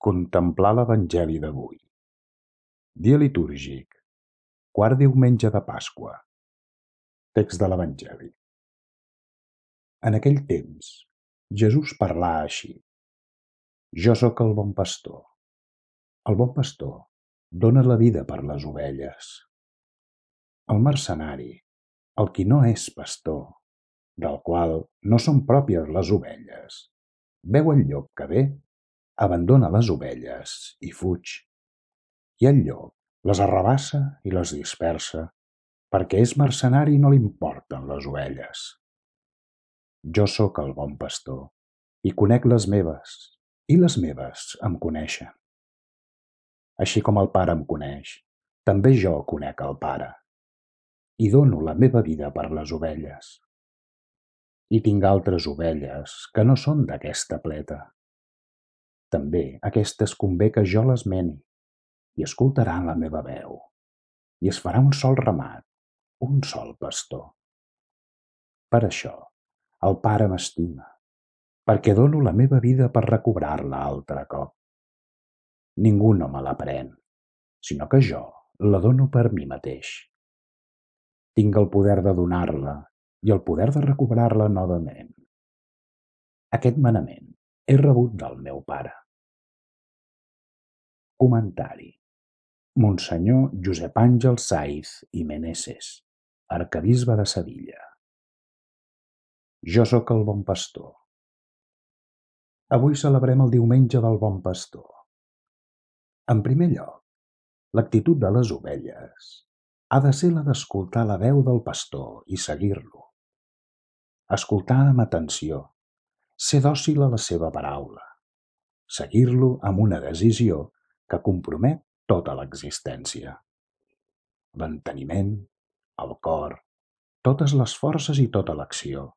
Contemplar l'Evangeli d'avui. Dia litúrgic, quart diumenge de Pasqua. Text de l'Evangeli. En aquell temps, Jesús parlà així: Jo sóc el bon pastor. El bon pastor dóna la vida per les ovelles. El mercenari, el qui no és pastor, del qual no són pròpies les ovelles, veu el llop que ve, abandona les ovelles i fuig. I el llop les arrabassa i les dispersa, perquè és mercenari i no li importen les ovelles. Jo sóc el bon pastor, i conec les meves, i les meves em coneixen. Així com el Pare em coneix, també jo conec el Pare, i dono la meva vida per les ovelles. I tinc altres ovelles que no són d'aquesta pleta. També aquestes convé que jo les meni, i escoltaran la meva veu, i es farà un sol ramat, un sol pastor. Per això el Pare m'estima, perquè dono la meva vida per recobrar-la altre cop. Ningú no me la pren, sinó que jo la dono per mi mateix. Tinc el poder de donar-la i el poder de recobrar-la novament. Aquest manament he rebut del meu Pare. Comentari. Monsenyor Josep Àngel Saiz i Meneses, arquebisbe de Sevilla. Jo sóc el bon pastor. Avui celebrem el diumenge del bon pastor. En primer lloc, l'actitud de les ovelles ha de ser la d'escoltar la veu del pastor i seguir-lo. Escoltar amb atenció, ser dòcil a la seva paraula, seguir-lo amb una decisió que compromet tota l'existència. L'enteniment, el cor, totes les forces i tota l'acció,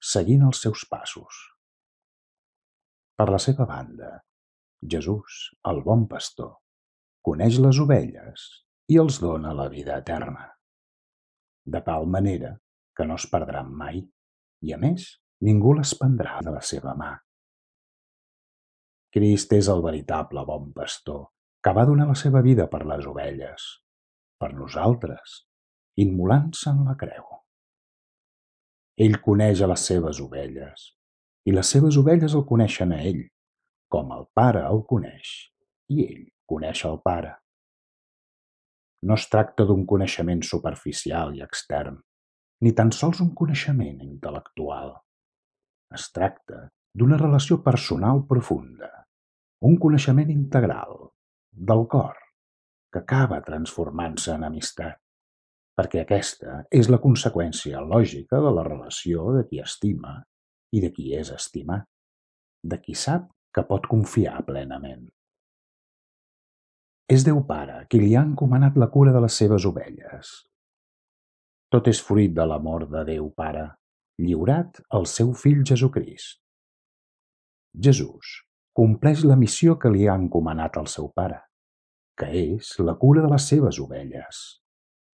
seguint els seus passos. Per la seva banda, Jesús, el bon pastor, coneix les ovelles i els dona la vida eterna, de tal manera que no es perdran mai i, a més, ningú les prendrà de la seva mà. Crist és el veritable bon pastor, que va donar la seva vida per les ovelles, per nosaltres, immolant-se en la creu. Ell coneix a les seves ovelles, i les seves ovelles el coneixen a ell, com el Pare el coneix, i ell coneix el Pare. No es tracta d'un coneixement superficial i extern, ni tan sols un coneixement intel·lectual. Es tracta d'una relació personal profunda, un coneixement integral, del cor, que acaba transformant-se en amistat, perquè aquesta és la conseqüència lògica de la relació de qui estima i de qui és estimat, de qui sap que pot confiar plenament. És Déu Pare qui li ha encomanat la cura de les seves ovelles. Tot és fruit de l'amor de Déu Pare, lliurat al seu Fill Jesucrist. Jesús compleix la missió que li ha encomanat el seu Pare, que és la cura de les seves ovelles,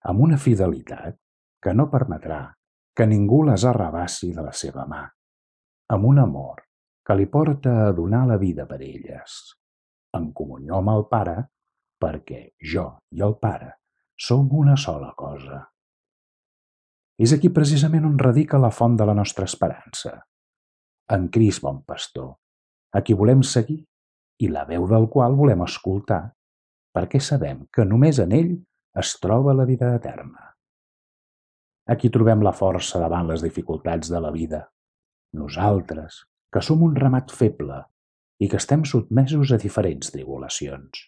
amb una fidelitat que no permetrà que ningú les arrabassi de la seva mà, amb un amor que li porta a donar la vida per elles, en comunió amb el Pare, perquè jo i el Pare som una sola cosa. És aquí precisament on radica la font de la nostra esperança, en Crist bon pastor, a qui volem seguir i la veu del qual volem escoltar, perquè sabem que només en ell es troba la vida eterna. Aquí trobem la força davant les dificultats de la vida, nosaltres, que som un ramat feble i que estem sotmesos a diferents tribulacions.